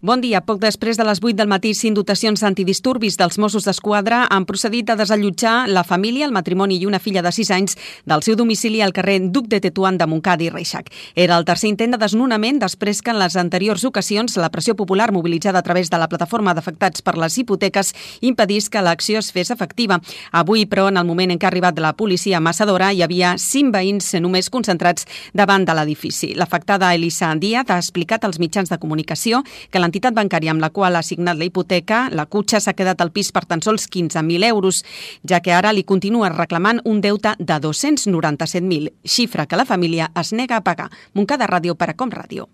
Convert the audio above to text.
Bon dia. Poc després de les 8 del matí, 5 dotacions antidisturbis dels Mossos d'Esquadra han procedit a desallotjar la família, el matrimoni i una filla de 6 anys del seu domicili al carrer Duc de Tetuan de Montcada i Reixac. Era el tercer intent de desnonament després que en les anteriors ocasions la pressió popular mobilitzada a través de la plataforma d'afectats per les hipoteques impedís que l'acció es fes efectiva. Avui, però, en el moment en què ha arribat la policia a Massadora, hi havia 5 veïns només concentrats davant de l'edifici. L'afectada Elisa Díaz ha explicat als mitjans de comunicació que l'entitat bancària amb la qual ha assignat la hipoteca, la Cutxa, s'ha quedat al pis per tan sols 15.000 euros, ja que ara li continua reclamant un deute de 297.000, xifra que la família es nega a pagar. Montcada Ràdio per a Com Ràdio.